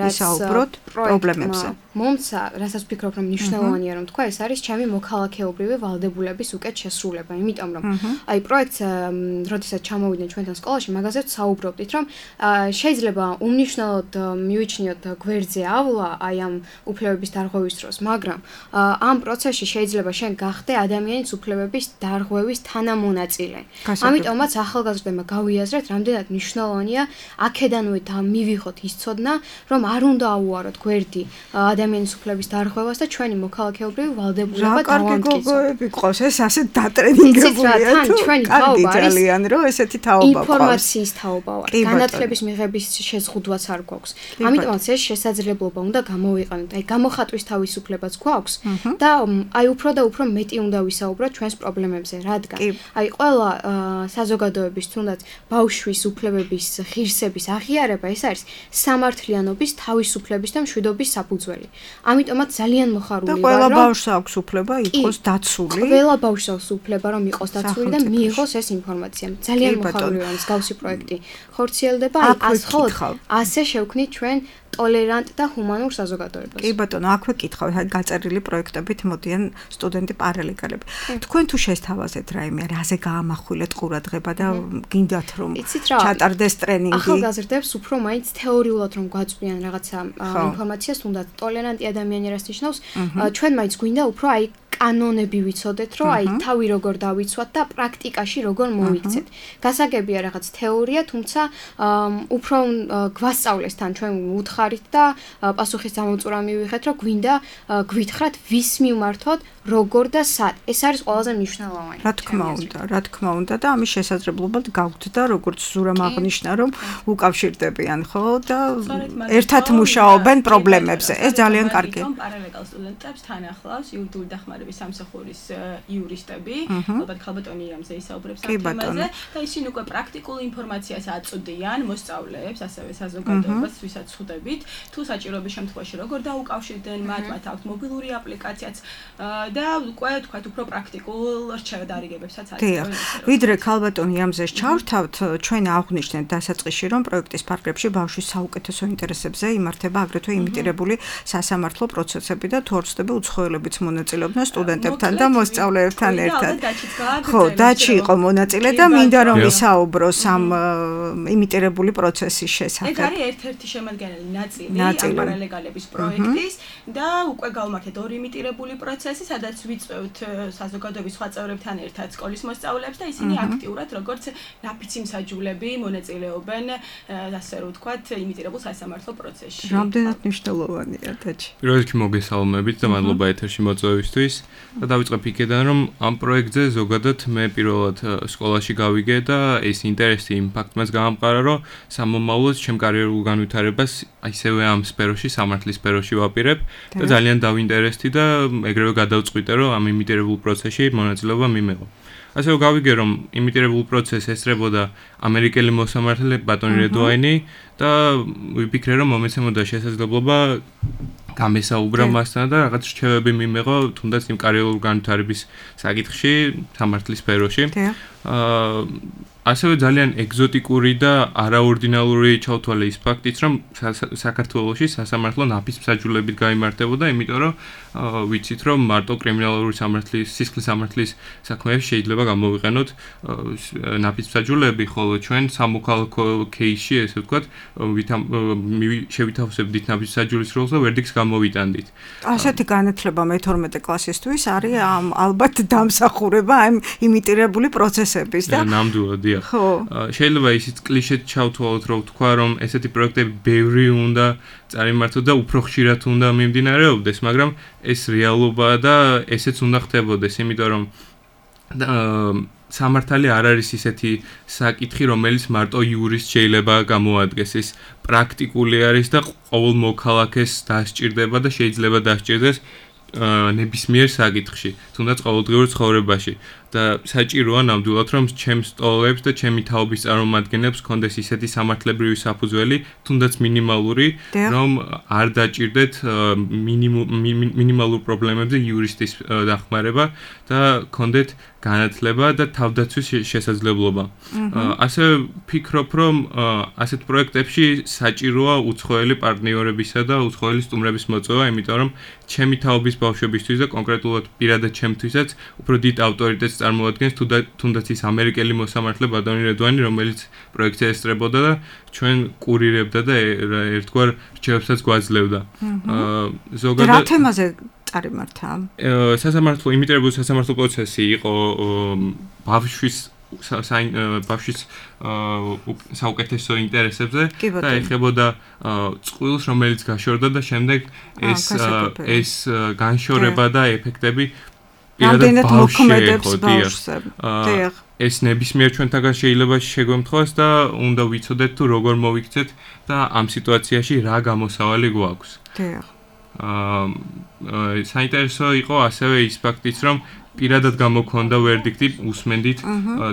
ვისაუბროთ პრობლემებზე. მომცა, რასაც ვფიქრობ, რომ მნიშვნელოვანია რომ თქვა, ეს არის ჩემი მოქალაქეობრივი ვალდებულების უკეთ შესრულება, იმიტომ რომ აი პროექტს, როდესაც ჩამოვიდნენ ჩვენთან სკოლაში, მაგაზე საუბრობდით, რომ შეიძლება უმნიშვნელოდ მივიჩნიოთ გვერდზე ავლა აი ამ უფლებების დარღვევის დროს, მაგრამ ამ პროცესში შეიძლება შენ გახდე ადამიანის უფლებების დარღვევის თანამონაწილე. ამიტომაც ახალგაზრდებმა გავიაზრეთ, რამდენად მნიშვნელოვანია აქედანვე მივიღოთ ის ცოდნა, რომ არ უნდა აუაროთ გვერდი ადამიანის უფლების დარღვევას და ჩვენი მოქალაქეობრივი ვალდებულება დავამტკიცოთ. რა კარგი გყავს ეს ასე დატრენინგებულია თუ კარგი ძალიან რომ ესეთი თაობა გყავს. ინფორმაციის თაობა ვარ. განათლების მიღების შეზღუდვაც არ გვაქვს. ამიტომაც ეს შესაძლებლობა უნდა გამოვიყენოთ. აი გამოხატვის თავისუფლებაც გვაქვს და აი უფრო და უფრო მეტი უნდა ვისაუბროთ ჩვენს პრობლემებზე, რადგან აი ყველა საზოგადოების თუნდაც ბავშვის უფლებების ღირსების აღიარება ეს არის სამართლიანობის, თავისუფლების და მშვიდობის საფუძველი. ამიტომაც ძალიან მოხარული ვარ, რომ ყველა ბავშვს აქვს უფლება იყოს დაცული. ყველა ბავშვს აქვს უფლება, რომ იყოს დაცული და მიიღოს ეს ინფორმაცია. ძალიან მოხარული ვარ, მსგავსი პროექტი ხორციელდება, ასე შევქმნით ჩვენ ტოლერანტ და ჰუმანურ საზოგადოებას. კი ბატონო, აქვე კითხავ, გაწერილი პროექტებით მოდიან სტუდენტი პარალეგალები. თქვენ თუ შესთავაზეთ რაიმე, რაზე გაამახვილეთ ყურადღება და გინდათ რომ ჩატარდეს ტრენინგი? ახალგაზრდებს უფრო მაინც თეორიულად რომ გვაწვიან რაღაცა ინფორმაციას, თუნდაც ტოლერანტი ადამიანი რას ნიშნავს, ჩვენ მაინც გვინდა უფრო აი კანონები ვიცოდეთ, რომ აი თავი როგორ დავიცვათ და პრაქტიკაში როგორ მოვიქცეთ. გასაგებია რაღაც თეორია, თუმცა უფრო გვასწავლეს თან ჩვენ უთხარით და პასუხის დამოწურა მივიღეთ, რომ გვინდა გვითხრათ ვის მიმართოთ, როგორ და სად. ეს არის ყველაზე მნიშვნელოვანი. რა თქმა უნდა და ამის შესაძლებლობად გავხდით და როგორც ზურამ აღნიშნა, რომ უკავშირდებიან, ხო და ერთად მუშაობენ პრობლემებზე. ეს ძალიან კარგია. პარალეგალ სტუდენტებს თან ახლავს იურიდიული დახმარების სამსახურის იურისტები, ალბათ ქალბატონი ირამზე ისაუბრებს ამ თემაზე და ისინი უკვე პრაქტიკულ ინფორმაციას აწვდიან მოსწავლეებს, ასევე საზოგადოებას, ვისაც ხვდებით, თუ საჭიროების შემთხვევაში როგორ დაუკავშირდნენ მათ, მათ აქვთ მობილური აპლიკაციაც და უკვე თქვათ უფრო პრაქტიკულ რჩევადარიგებებსაც აწვდიან. ვიდრე ქალბატონი ირამზეს ჩავრთავთ, ჩვენ აღვნიშნეთ დასაწყისში, რომ პროექტის ფარგლებში ბავშვის საუკეთესო ინტერესებზე იმართება აგრეთვე იმიტირებული სასამართლო პროცესები და თუ არ ვცდები უცხოელებიც მონაწილეობდნენ სტუდენტებთან და მოსწავლეებთან ერთად. ხო, დაჩი იყო მონაწილე და მინდა რომ ვისაუბროს ამ იმიტირებული პროცესის შესახებ. ეს არის ერთ-ერთი შემადგენელი ნაწილი ამ პარალეგალების პროექტის და უკვე გავმართეთ ორი იმიტირებული პროცესი, სადაც ვიწვევთ საზოგადოების სხვა წევრებთან ერთად სკოლის მოსწავლეებს და ისინი აქტიურად როგორც ნაფიცი მსაჯულები მონაწილეობენ, ასე რომ ვთქვათ, იმიტირებულ სასამართლო პროცესში. რამდენად მნიშვნელოვანია დაჩი. პირველ რიგში მოგესალმებით და მადლობა ეთერში მოწვევისთვის. და დავიწყებ იქედან, რომ ამ პროექტზე ზოგადად მე პირველად სკოლაში გავიგე და ეს ინტერესი იმ ფაქტმაც გაამყარა, რომ სამომავლოდ ჩემ კარიერულ განვითარებას ისევე ამ სფეროში, სამართლის სფეროში ვაპირებ და ძალიან დავინტერესდი და ეგრევე გადავწყვიტე, რომ ამ იმიტირებულ პროცესში მონაწილეობა მიმეღო. ასე რომ გავიგე, რომ იმიტირებულ პროცესს ესწრებოდა ამერიკელი მოსამართლე ბატონი რედვაინი და ვიფიქრე, რომ მომეცემოდა შესაძლებლობა გამესაუბრა მასთან და რაღაც რჩევები მიმეღო თუნდაც იმ კარიერულ განვითარების საკითხში, სამართლის სფეროში. ასევე ძალიან ეგზოტიკური და არაორდინალური ჩავთვალე ის ფაქტიც, რომ საქართველოში სასამართლო ნაფიც მსაჯულებით გაიმართებოდა, იმიტომ რომ ვიცით, რომ მარტო კრიმინალური სამართლის, სისხლის სამართლის საქმეებში შეიძლება გამოვიყენოთ ნაფიც მსაჯულები, ხოლო ჩვენ სამოქალაქო кейსში, ესე ვთქვათ, შევითავსებდით ნაფიც მსაჯულის როლს და ვერდიქტს გამოვიტანდით. ასეთი განათლება მე-12 კლასისთვის არის ალბათ დამსახურება ამ იმიტირებული პროცესების და ნამდვილად შეიძლება ისიც კლიშედ ჩავთვალოთ, რომ ვთქვა, რომ ესეთი პროექტები ბევრი უნდა წარიმართო და უფრო ხშირად უნდა მიმდინარეობდეს, მაგრამ ეს რეალობაა და ესეც უნდა ხდებოდეს, იმიტომ რომ სამართალი არ არის ისეთი საკითხი, რომელიც მარტო იურისტს შეიძლება გამოადგეს. ეს პრაქტიკული არის და ყოველ მოქალაქეს დასჭირდება და შეიძლება დასჭირდეს ნებისმიერ საკითხში, თუნდაც ყოველდღიურ ცხოვრებაში. და საჭიროა ნამდვილად, რომ ჩემს სტოლებს და ჩემი თაობის წარმომადგენლებს კონდეს ისეთი სამართლებრივი საფუძველი, თუნდაც მინიმალური, რომ არ დაჭირდეთ მინიმალურ პრობლემებზე იურისტის დახმარება და კონდეთ განათლება და თავდაცვის შესაძლებლობა. ასე ვფიქრობ, რომ ასეთ პროექტებში საჭიროა უცხოელი პარტნიორებისა და უცხოელი სტუმრების მოწვევა, იმიტომ რომ ჩემი თაობის ბავშვებისთვის და კონკრეტულად პირადად ჩემთვისაც უფრო დიდ ავტორიტეტს წარმოადგენს თუნდაც ის ამერიკელი მოსამართლე ბატონი რედვანი, რომელიც პროექტზე ესწრებოდა და ჩვენ კურირებდა და ერთგვარ რჩევებსაც გვაძლევდა. ზოგადად რა თემაზე წარიმართა? სასამართლო იმიტირებული სასამართლო პროცესი იყო ბავშვის საუკეთესო ინტერესებზე და ეხებოდა წყვილს, რომელიც გაშორდა და შემდეგ ეს განშორება და ეფექტები რამდენად მოქმედებს ბავშვზე. ეს ნებისმიერ ჩვენთაგან შეიძლება შეგვემთხვას და უნდა ვიცოდეთ თუ როგორ მოვიქცეთ და ამ სიტუაციაში რა გამოსავალი გვაქვს. საინტერესო იყო ასევე ის ფაქტიც, რომ პირადად გამოქონდა ვერდიქტი, უსმენდით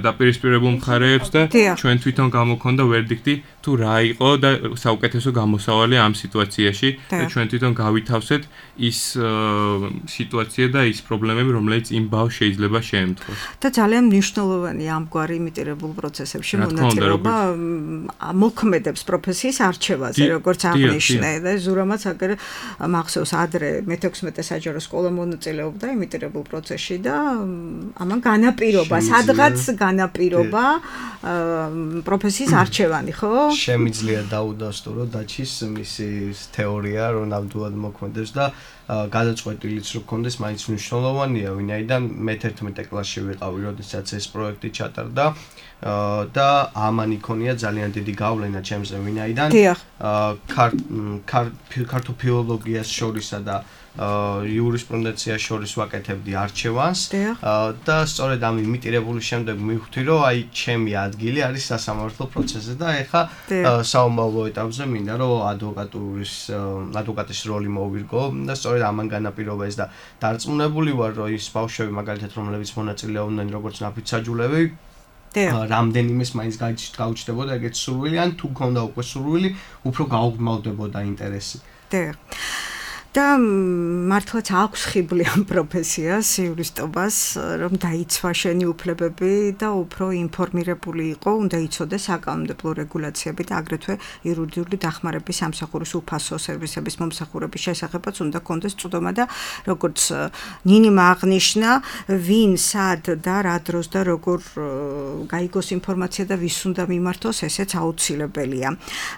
დაპირისპირებულ მხარეებს და ჩვენ თვითონ გამოქონდა ვერდიქტი თუ რა იყო და საუკეთესო გამოსავალი ამ სიტუაციაში და ჩვენ თვითონ გავითავსეთ ის სიტუაცია და ის პრობლემები, რომელიც იმ ბავშვს შეიძლება შეემთხვას. და ძალიან მნიშვნელოვანია ამგვარი იმიტირებულ პროცესებში მონაწილეობა მოქმედებს პროფესიის არჩევაზე, როგორც აღნიშნე და ზურამაც აგერ მახსოვს ადრე მე-16 საჯარო სკოლა მონაწილეობდა იმიტირებულ პროცესში და ამან განაპირობა, სადღაც განაპირობა პროფესიის არჩევანი, ხო? შემიძლია დაუდასტურო დაჩის მისი თეორია, რომ ნამდვილად მოქმედებს და გადაწყვეტილიც რო გქონდეს, მაინც მნიშვნელოვანია, ვინაიდან მე-11 კლასში ვიყავი, როდესაც ეს პროექტი ჩატარდა და ამან იქონია ძალიან დიდი გავლენა ჩემზე, ვინაიდან ქართულ ფილოლოგიას შორისა და იურისპრუდენციას შორის ვაკეთებდი არჩევანს და სწორედ ამ იმიტირებული შემდეგ მივხვდი, რომ აი ჩემი ადგილი არის სასამართლო პროცესზე და ეხა საომავლო ეტაპზე მინდა რომ ადვოკატის როლი მოვირგო და სწორედ ამან განაპირობა ეს და დარწმუნებული ვარ, რომ ის ბავშვები მაგალითად რომლებიც მონაწილეობდნენ როგორც ნაფიცაჯულები რამდენიმეს მაინც გაუჩნდებოდა ეგეთ სურვილი ან თუ გქონდა უკვე სურვილი უფრო გაუგრძელდებოდა ინტერესი. და მართლაც აქვს ხიბლი ამ პროფესიას, იურისტობას, რომ დაიცვა შენი უფლებები და უფრო ინფორმირებული იყო, უნდა იცოდეს საკანონმდებლო რეგულაციები და აგრეთვე იურიდიული დახმარების სამსახურის უფასო სერვისების მომსახურების შესახებაც უნდა კონდეს წვდომა და როგორც ნინიმა აღნიშნა, ვინ, სად და რა დროს და როგორ გაიგოს ინფორმაცია და ვის უნდა მიმართოს, ესეც აუცილებელია.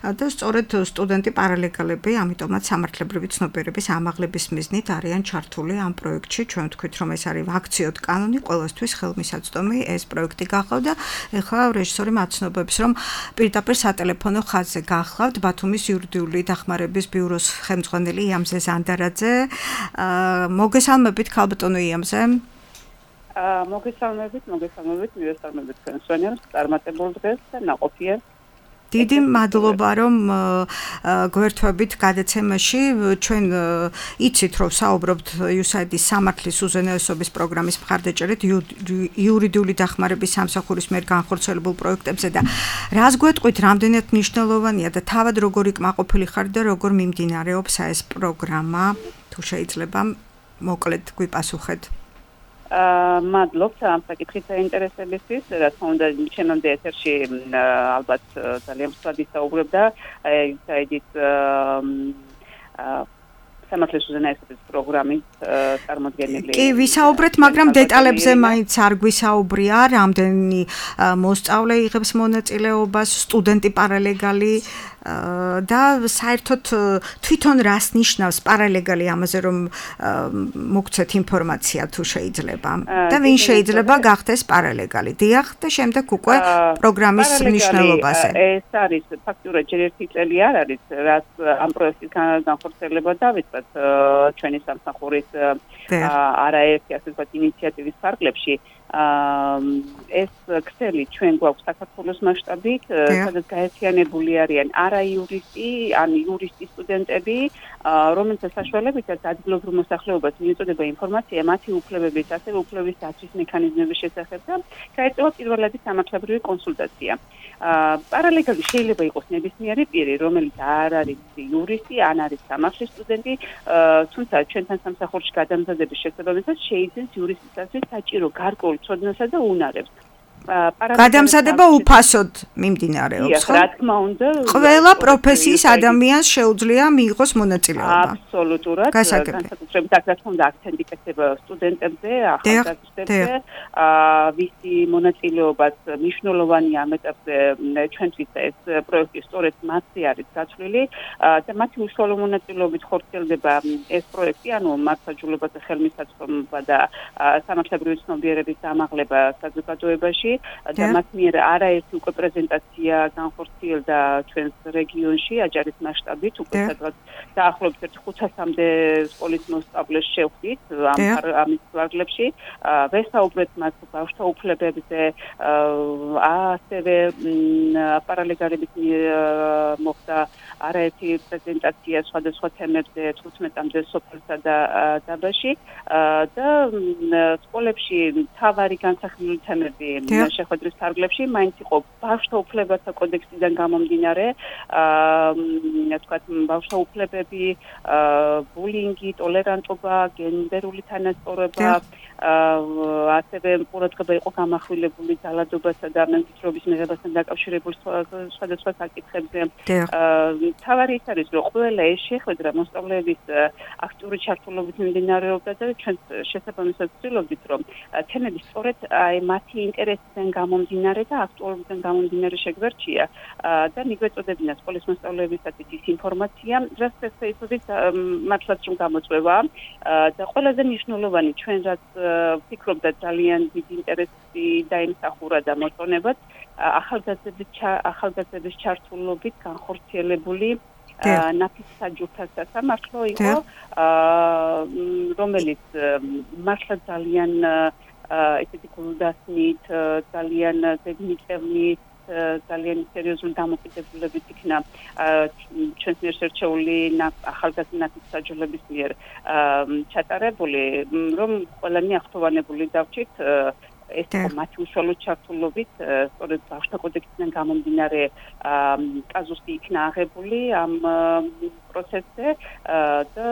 და სწორედ სტუდენტი პარალეგალები, ამიტომაც სამართლებრივი ცნობიერების ამაღლების მიზნით არიან ჩართული ამ პროექტში. ჩვენ ვთქვით, რომ ეს არის ვაქციოდ კანონი, ყველასთვის ხელმისაწვდომი ეს პროექტი გახავდა. ეხლა რეჟისორი მაცნობებს, რომ პირდაპირ სატელეფონო ხაზზე გახლავთ ბათუმის იურიდიული დახმარების ბიუროს ხელმძღვანელი იამზე ზანდარაძე. მოგესალმებით ქალბატონო იამზე. მოგესალმებით, მივესალმებით თქვენ სვენიარს, წარმატებულ დღეს და ნაყოფიერ. დიდი მადლობა, რომ გვერთვებით გადაცემაში. ჩვენ იცით, რომ საუბრობთ USAID-ის სამართლის უზენაესობის პროგრამის მხარდაჭერით იურიდიული დახმარების სამსახურის მიერ განხორციელებულ პროექტებზე და რას გვეტყვით, რამდენად მნიშვნელოვანია და თავად როგორი კმაყოფილი ხარ და როგორ მიმდინარეობს ეს პროგრამა, თუ შეიძლება მოკლედ გვიპასუხეთ. მადლობთ ამ საკითხის საინტერესებისთვის, რა თქმა უნდა, ჩემამდე ეთერში ალბათ ძალიან მსხვად ისაუბრებდა USAID-ის სამართლის უზენაესობის პროგრამის წარმოდგენილი. კი, ვისაუბრეთ, მაგრამ დეტალებზე მაინც არ გვისაუბრია, რამდენი მოსწავლე იღებს მონაწილეობას, სტუდენტი პარალეგალი და საერთოდ თვითონ რას ნიშნავს პარალეგალი ამაზე, რომ მოგცეთ ინფორმაცია თუ შეიძლება და ვინ შეიძლება გახდეს პარალეგალი. დიახ, და შემდეგ უკვე პროგრამის მნიშვნელობაზე. ეს არის ფაქტურად ჯერ ერთი წელი არ არის, რაც ამ პროექტის განხორციელება დავიწყეთ ჩვენი სამსახურის არაერთი ასე ვთქვათ ინიციატივის ფარგლებში. ეს ქსელი ჩვენ გვაქვს საქართველოს მასშტაბით, სადაც გაერთიანებული არიან არაიურისტი, ან იურისტი სტუდენტები, რომელთა საშუალებითაც ადგილობრივ მოსახლეობას მიეწოდება ინფორმაცია მათი უფლებების, ასევე უფლების დაცვის მექანიზმების შესახებ და გაეწევა პირველადი სამართლებრივი კონსულტაცია. პარალეგალი შეიძლება იყოს ნებისმიერი პირი, რომელიც არ არის იურისტი, ან არის სამართლის სტუდენტი, თუმცა ჩვენთან სამსახურში გადამზადების შესაბამისად შეიძენს იურისტისათვის საჭირო გარკვეულ ცოდნასა და უნარებს. გადამზადება უფასოდ მიმდინარეობს, ხო? რა თქმა უნდა, ყველა პროფესიის ადამიანს შეუძლია მიიღოს მონაწილეობა. აბსოლუტურად. განსაკუთრებით აქ რა თქმა უნდა აქცენტი კეთდება სტუდენტებზე, ახალგაზრდებზე, ვისი მონაწილეობაც მნიშვნელოვანია ამ ეტაპზე ჩვენთვის ეს პროექტი სწორედ მათი არის გაცვლილი და მათი უშუალო მონაწილეობით ხორციელდება ეს პროექტი, ანუ მართლმსაჯულებათა ხელმისაწვდომობა და სამართლებრივი ცნობიერების ამაღლება საზოგადოებაში. და მათ მიერ არაერთი უკვე პრეზენტაცია განხორციელდა ჩვენს რეგიონში აჯარის მასშტაბით უკვე სადღაც დაახლოებით 500-მდე სკოლის მოსწავლეს შევხვდით ამის ვარგლებში ვესაუბრეთ მათ ბავშვთა უფლებებზე ასევე პარალეგალების მოხდა არაერთი პრეზენტაცია სხვადასხვა თემებზე 15-მდე სოფელსა და დაბაში და სკოლებში მთავარი განსახილული თემები შეხვედრის ფარგლებში მაინც იყო ბავშვთა უფლებათა კოდექსიდან გამომდინარე თქვათ ბავშვთა უფლებები ბულინგი ტოლერანტობა გენდერული თანასწორობა ასევე ყურადღება იყო გამახვილებული ძალადობასა და მემკვიდრეობის მიღებასთან დაკავშირებული სხვადასხვა საკითხებზე თავარი ის არის რომ ყველა ეს შეხვედრა მოსწავლეების აქტიური ჩართულობით მიმდინარეობდა და ჩვენ შესაბამისად ვცდილობდით რომ თემები სწორედ აი მათი ინტერესიდან გამომდინარე და აქტუალობიდან გამომდინარე შეგვერჩია და მიგვეწოდებინა სკოლის მოსწავლეებისათვის ის ინფორმაცია რაც ფეისბუქით მართლაც რომ გამოწვევა და ყველაზე მნიშვნელოვანი ჩვენ რაც ვფიქრობდა ძალიან დიდი ინტერესი დაიმსახურა და მოწონებად ახალგაზრდების ჩართულობით განხორციელებული ნაფის საჯუთა სასამართლო იყო რომელიც მართლა ძალიან ესეთი გულდასმით ძალიან ზედმიწევნით ძალიან სერიოზული დამოკიდებულებით იქნა ჩვენს მიერ შერჩეული ახალგაზრდების საჯულების მიერ ჩატარებული რომ ყველანი ახთოვანებული დავჭით ეს მათი უშუალო ჩართულობით სწორედ ბავშვთა კოდექსიდან გამომდინარე კაზუსი იქნა აღებული ამ პროცესზე და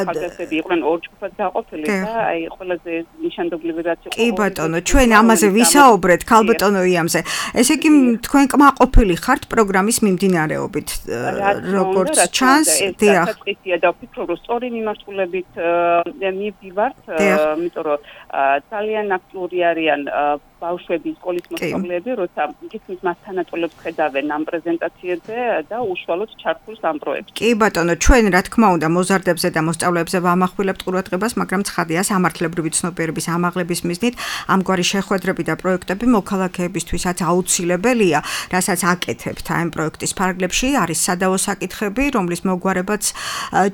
ახალგაზრდები იყვნენ ორ ჯგუფად დაყოფილი და აი ყველაზე ნიშანდობლივი რაც იყო კი ბატონო ჩვენ ამაზე ვისაუბრეთ ქალბატონო იამზე ესე იგი თქვენ კმაყოფილი ხართ პროგრამის მიმდინარეობით როგორც ჩანს დიახ საკითხია და ვფიქრობ რომ სწორი მიმართულებით მივდივართ იმიტომ რომ ძალიან აქტიური არიან ბავშვები სკოლის მოსწავლეები როცა ისინი მას თანატოლებს ხედავენ ამ პრეზენტაციებზე და უშუალოდ ჩართულს ამ პროექტში კი ბატონო ჩვენ რა თქმა უნდა მოზარდებზე და მოსწავლეებზე ვამახვილებთ ყურადღებას მაგრამ ცხადია სამართლებრივი ცნობიერების ამაღლების მიზნით ამგვარი შეხვედრები და პროექტები მოქალაქეებისთვისაც აუცილებელია რასაც აკეთებთ ამ პროექტის ფარგლებში არის სადავო საკითხები რომლის მოგვარებაც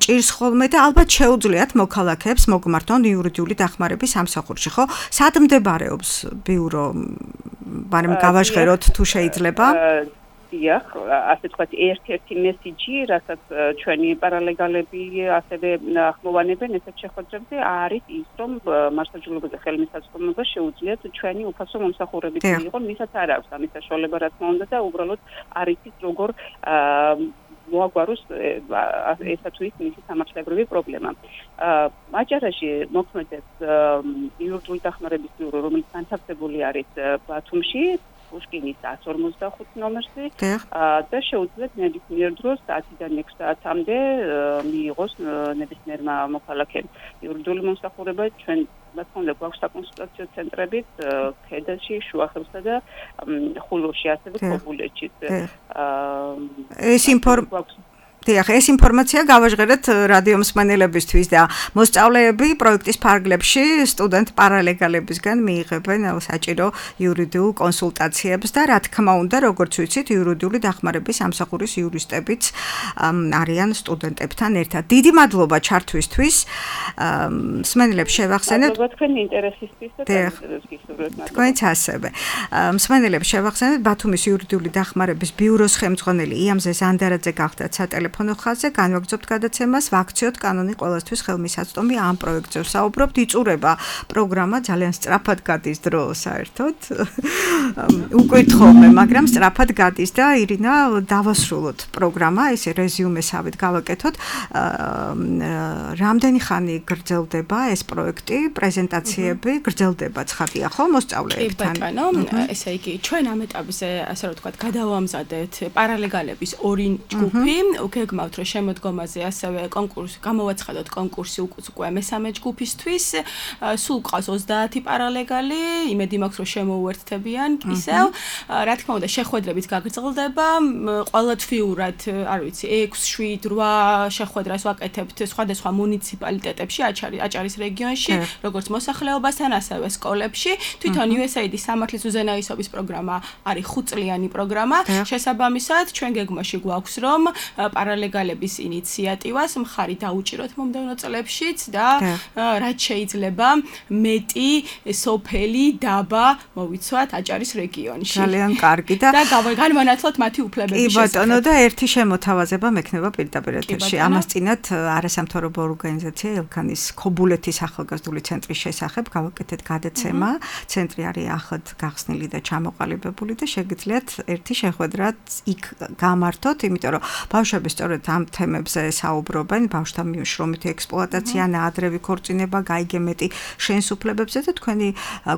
ჭირს ხოლმე და ალბათ შეუძლიათ მოქალაქეებს მოგმართონ იურიდიული დახმარების სამსახურში ხო სად მდებარეობს ბიურო მაგრამ გავაჟღეროთ თუ შეიძლება დიახ, ასე ვთქვათ, ერთ-ერთი მესიჯი, რასაც ჩვენი პარალეგალები ასევე ახმოვანებენ ესეთ შეხვედრებზე, არის ის, რომ მართლმსაჯულობაზე ხელმისაწვდომობა შეუძლიათ ჩვენი უფასო მომსახურებით მიიღონ, ვისაც არ აქვს ამის საშუალება, რა თქმა უნდა, და უბრალოდ არის ის როგორ მოაგვაროს ესა თუ ის მისი სამართლებრივი პრობლემა. აჭარაში მოქმედებს იურიდიული დახმარების ბიურო, რომელიც განთავსებული არის ბათუმში, პუშკინის 145 ნომერში და შეუძლიათ ნებისმიერ დროს 10-დან 6 საათამდე მიიღოს ნებისმიერმა მოქალაქემ იურიდიული მომსახურება ჩვენ რა თქმა უნდა გვაქვს საკონსულტაციო ცენტრებით ქედაში, შუახევსა და ხულოში, ასევე ქობულეთში. ეს ინფორმაცია გავაჟღერეთ რადიო მსმენელებისთვის და მოსწავლეები პროექტის ფარგლებში სტუდენტ პარალეგალებისგან მიიღებენ საჭირო იურიდიულ კონსულტაციებს და რა თქმა უნდა როგორც ვიცით იურიდიული დახმარების სამსახურის იურისტებიც არიან სტუდენტებთან ერთად. დიდი მადლობა ჩართვისთვის. მსმენელებს შევახსენებთ თქვენი ინტერესისთვის და თქვენც ასევე. მსმენელებს შევახსენებთ ბათუმის იურიდიული დახმარების ბიუროს ხელმძღვანელი იამზე ზანდარაძე გახდათ სატელეფონო ხაზზე განვაგრძობთ გადაცემას ვაქციოთ კანონი ყველასთვის ხელმისაწვდომი ამ პროექტზე ვსაუბრობთ იწურება პროგრამა ძალიან სწრაფად გადის დრო საერთოდ უკითხავ მაგრამ სწრაფად გადის და ირინა დავასრულოთ პროგრამა ესე რეზიუმესავით გავაკეთოთ რამდენი ხანი გრძელდება ეს პროექტი პრეზენტაციები გრძელდება ცხადია ხო მოსწავლეებთან კი ბატონო ესე იგი ჩვენ ამ ეტაპზე ასე რომ ვთქვათ გადავამზადეთ პარალეგალების ორი ჯგუფი გეგმავთ, რომ შემოდგომაზე ასევე გამოვაცხადოთ კონკურსი უკვე მესამე ჯგუფისთვის. სულ ყავს 30 პარალეგალი, იმედი მაქვს, რომ შემოუერთდებიან ისევ. რა თქმა უნდა, შეხვედრებით გაგრძელდება. ყოველთვიურად, არ ვიცი, 6, 7, 8 შეხვედრას ვაკეთებთ სხვადასხვა მუნიციპალიტეტებში, აჭარის რეგიონში, როგორც მოსახლეობასთან, ასევე სკოლებში. თვითონ USAID-ის სამართლის უზენაესობის პროგრამა არის 5 წლიანი პროგრამა. შესაბამისად, ჩვენ გეგმაში გვაქვს, რომ პარალეგალების ინიციატივას მხარი დაუჭიროთ მომდევნო წლებშიც და რაც შეიძლება მეტი სოფელი დაბა მოვიცვათ აჭარის რეგიონში. ძალიან კარგი და განვანათლოთ მათი უფლებების შესახებ. კი ბატონო და ერთი შემოთავაზება მექნება პირდაპირ ეთერში. ამას წინათ არასამთავრობო ორგანიზაცია ელქანის ქობულეთის ახალგაზრდული ცენტრის შესახებ გავაკეთეთ გადაცემა. ცენტრი არის ახლად გახსნილი და ჩამოყალიბებული და შეგიძლიათ ერთი შეხვედრაც იქ გამართოთ, იმიტომ რომ ბავშვები სწორედ ამ თემებზე საუბრობენ, ბავშვთა შრომითი ექსპლუატაცია, ნაადრევი ქორწინება, გაიგე მეტი შენს უფლებებზე და თქვენი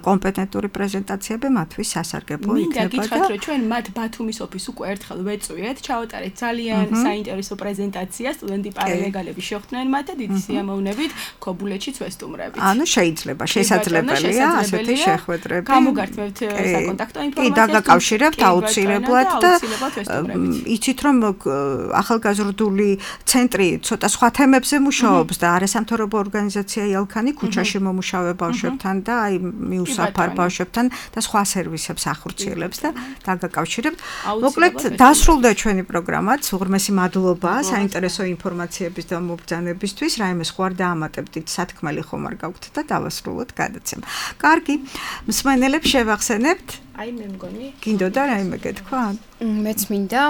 კომპეტენტური პრეზენტაციები მათთვის სასარგებლო იქნება. მინდა გითხრათ, რომ ჩვენ მათ ბათუმის ოფისს უკვე ერთხელ ვეწვიეთ, ჩავატარეთ ძალიან საინტერესო პრეზენტაცია, სტუდენტი პარალეგალები შეხვდნენ მათ და დიდი სიამოვნებით ქობულეთშიც ვესტუმრებით. ანუ შეიძლება, შესაძლებელია ასეთი შეხვედრები. გამოგართმევთ საკონტაქტო ინფორმაციას. კი, დაგაკავშირებთ აუცილებლად და იცით რომ ახალგაზრდული ცენტრი ცოტა სხვა თემებზე მუშაობს და არასამთავრობო ორგანიზაცია ელქანი ქუჩაში მომუშავე ბავშვებთან და აი მიუსაფარ ბავშვებთან და სხვა სერვისებს ახორციელებს და დაგაკავშირებთ. მოკლედ დასრულდა ჩვენი პროგრამაც. უღრმესი მადლობა საინტერესო ინფორმაციების და მობრძანებისთვის. რაიმე სხვა არ დაამატებდით, სათქმელი ხომ არ გაქვთ და დავასრულოთ გადაცემა. კარგი, მსმენელებს შევახსენებთ. აი მე მგონი გინდოდა რაიმე გეთქვა? მეც მინდა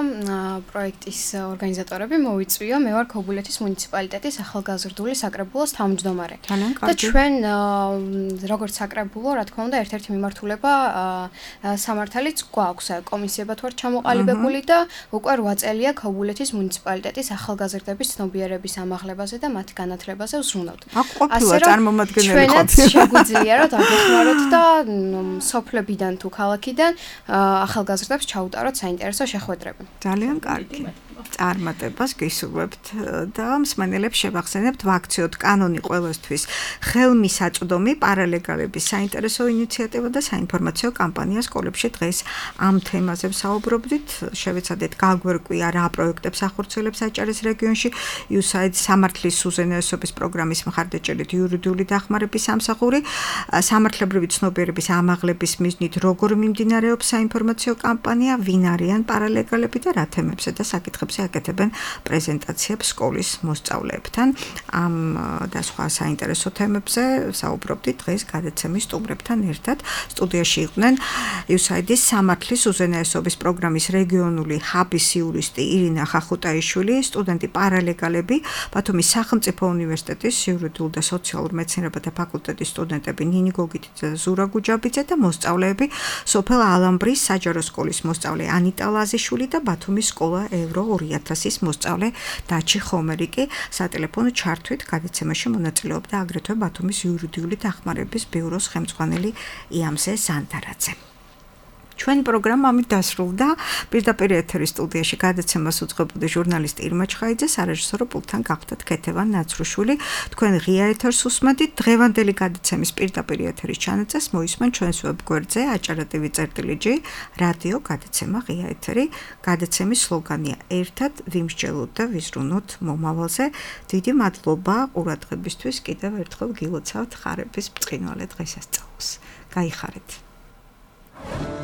პროექტის ორგანიზატორები მოვიწვიო. მე ვარ ქობულეთის მუნიციპალიტეტის ახალგაზრდული საკრებულოს თავმჯდომარე. და ჩვენ როგორც საკრებულო, რა თქმა უნდა, ერთ-ერთი მიმართულება სამართალიც გვაქვს. კომისიებად ვარ ჩამოყალიბებული და უკვე 8 წელია ქობულეთის მუნიციპალიტეტის ახალგაზრდების ცნობიერების ამაღლებაზე და მათი განათლებაზე ვზრუნავთ. ყოფილა წარმომადგენელი ყოფილა. ჩვენაც შეგვიძლია რომ დაგეხმაროთ და სოფლებიდან თუ ქალაქიდან ახალგაზრდებს ჩაუტაროთ საინტერესო შეხვედრები. ძალიან კარგი. წარმატებას გისურვებთ და მსმენელებს შევახსენებთ ვაქციოთ კანონი ყველასთვის ხელმისაწვდომი პარალეგალების საინტერესო ინიციატივა და საინფორმაციო კამპანია სკოლებში დღეს ამ თემაზე ვსაუბრობდით. შევეცადეთ გაგვერკვია რა პროექტებს ახორციელებს აჭარის რეგიონში USAID სამართლის უზენაესობის პროგრამის მხარდაჭერით იურიდიული დახმარების სამსახური, სამართლებრივი ცნობიერების ამაღლების მიზნით როგორ მიმდინარეობს საინფორმაციო კამპანია, ვინ არიან პარალეგალები და რა თემებზე და საკითხებზე აკეთებენ პრეზენტაციებს სკოლის მოსწავლეებთან. ამ და სხვა საინტერესო თემებზე საუბრობდით დღეს გადაცემის სტუმრებთან ერთად. სტუდიაში იყვნენ USAID-ის სამართლის უზენაესობის პროგრამის რეგიონული ჰაბის იურისტი ირინა ხახუტაიშვილი, სტუდენტი პარალეგალები, ბათუმის სახელმწიფო უნივერსიტეტის იურიდიულ და სოციალურ მეცნიერებათა ფაკულტეტის სტუდენტები ნინი გოგიტი და ზურა გუჯაბიძე და მოსწავლეები სოფელ ალამბრის საჯარო სკოლის მოსწავლე ანიტა ლაზიშვილი და ბათუმის სკოლა ევრო 2000-ის მოსწავლე დაჩი ხომერიკი. სატელეფონო ჩართვით გადაცემაში მონაწილეობდა აგრეთვე ბათუმის იურიდიული დახმარების ბიუროს ხელმძღვანელი იამზე ზანდარაძე. ჩვენი პროგრამა ამით დასრულდა. პირდაპირ ეთერის სტუდიაში გადაცემას უძღვებოდა ჟურნალისტი ირმა ჩხაიძე, სარეჟისორო პულტთან გახდათ ქეთევან ნაცრუშვილი. თქვენ ღია ეთერს უსმენთ. დღევანდელი გადაცემის პირდაპირ ეთერის ჩანაწერს მოისმენ ჩვენს ვებგვერდზე acara.tv/g რადიო გადაცემა ღია ეთერი. გადაცემის სლოგანია ერთად ვიმსჯელოთ და ვიზრუნოთ მომავალზე. დიდი მადლობა ყურადღებისთვის. კიდევ ერთხელ გილოცავთ ხარების ბრწყინვალე დღესასწაულს. გაიხარეთ.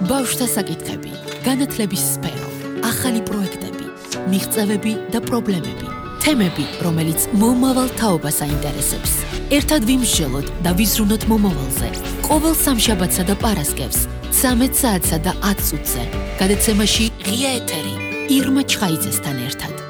ბავშვთა საკითხები, განათლების სფერო, ახალი პროექტები, მიღწევები და პრობლემები, თემები, რომელიც მომავალ თაობას აინტერესებს. ერთად ვიმსჯელოთ და ვიზრუნოთ მომავალზე. ყოველ სამშაბათსა და პარასკევს 13 საათსა და 10 წუთზე. გადაცემაში ღია ეთერი ირმა ჩხაიძესთან ერთად.